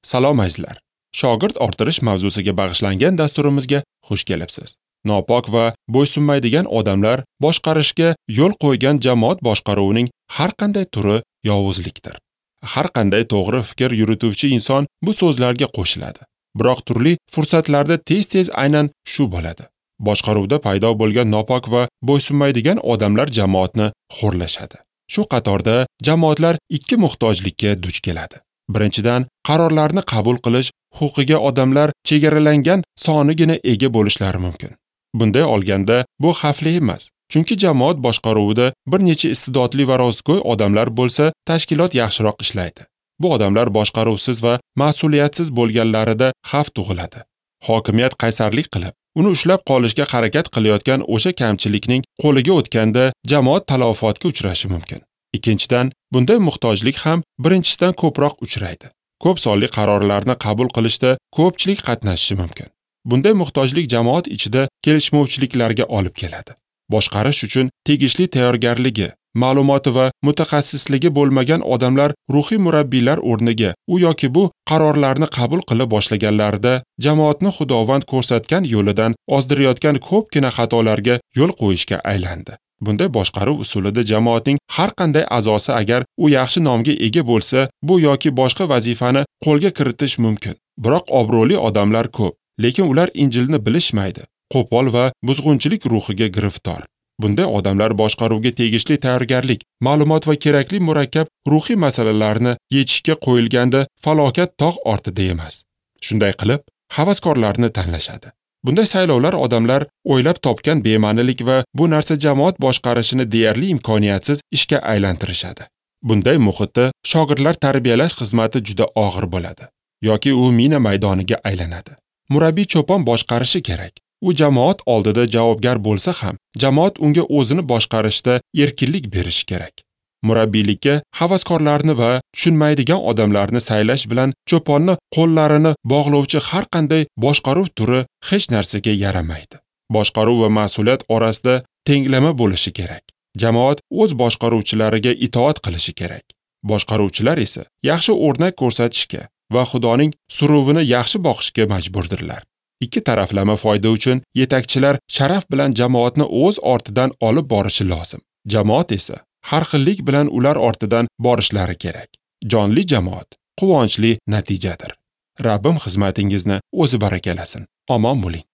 Salom azizlar. Shogird orttirish mavzusiga bag'ishlangan dasturimizga xush kelibsiz. Nopok va bo'ysunmaydigan odamlar boshqarishga yo'l qo'ygan jamoat boshqaruvining har qanday turi yovuzlikdir. Har qanday to'g'ri fikr yurituvchi inson bu so'zlarga qo'shiladi. Biroq turli fursatlarda tez-tez aynan shu bo'ladi. Boshqaruvda paydo bo'lgan nopok va bo'ysunmaydigan odamlar jamoatni xo'rlashadi. Shu qatorda jamoatlar ikki muhtojlikka duch keladi. Birinchidan, qarorlarni qabul qilish huquqiga odamlar chegaralangan sonigina ega bo'lishlari mumkin. Bunday olganda bu xavfli emas, chunki jamoat boshqaruvida bir necha iste'dodli va rostgo'y odamlar bo'lsa, tashkilot yaxshiroq ishlaydi. Bu odamlar boshqaruvsiz va mas'uliyatsiz bo'lganlarida xavf tug'iladi. Hokimiyat qaysarlik qilib, uni ushlab qolishga harakat qilayotgan o'sha kamchilikning qo'liga o'tganda jamoat talafotga uchrashi mumkin. Ikkinchidan, bunday muhtojlik ham birinchisidan ko'proq uchraydi. Ko'p sonli qarorlarni qabul qilishda ko'pchilik qatnashishi mumkin. Bunday muhtojlik jamoat ichida kelishmovchiliklarga olib keladi. Boshqarish uchun tegishli tayyorgarligi, ma'lumoti va mutaxassisligi bo'lmagan odamlar ruhiy murabbiylar o'rniga u yoki bu qarorlarni qabul qila boshlaganlarida jamoatni Xudovand ko'rsatgan yo'lidan ozdirayotgan ko'pgina xatolarga yo'l qo'yishga aylandi. Bunday boshqaruv usulida jamoatning har qanday a'zosi agar u yaxshi nomga ega bo'lsa, bu yoki boshqa vazifani qo'lga kiritish mumkin. Biroq obro'li odamlar ko'p, lekin ular Injilni bilishmaydi, qo'pol va buzg'unchilik ruhiga giriftor. Bunday odamlar boshqaruvga tegishli tayyorgarlik, ma'lumot va kerakli murakkab ruhiy masalalarni yechishga qo'yilganda falokat tog' ortida emas. Shunday qilib, havaskorlarni tanlashadi. Bunday saylovlar odamlar o'ylab topgan bema'nilik va bu narsa jamoat boshqarishini deyarli imkoniyatsiz ishga aylantirishadi. Bunday muhitda shogirdlar tarbiyalash xizmati juda og'ir bo'ladi yoki u mina maydoniga aylanadi. Murabbiy cho'pon boshqarishi kerak. U jamoat oldida javobgar bo'lsa ham, jamoat unga o'zini boshqarishda erkinlik berishi kerak. Murabbiylikka havaskorlarni va tushunmaydigan odamlarni saylash bilan cho'ponni qo'llarini bog'lovchi har qanday boshqaruv turi hech narsaga yaramaydi. Boshqaruv va mas'uliyat orasida tenglama bo'lishi kerak. Jamoat o'z boshqaruvchilariga itoat qilishi kerak. Boshqaruvchilar esa yaxshi o'rnak ko'rsatishga va Xudoning suruvini yaxshi boqishga majburdirlar. Ikki taraflama foyda uchun yetakchilar sharaf bilan jamoatni o'z ortidan olib borishi lozim. Jamoat esa har xillik bilan ular ortidan borishlari kerak. Jonli jamoat quvonchli natijadir. Rabbim xizmatingizni o'zi barakalasin. Omon bo'ling.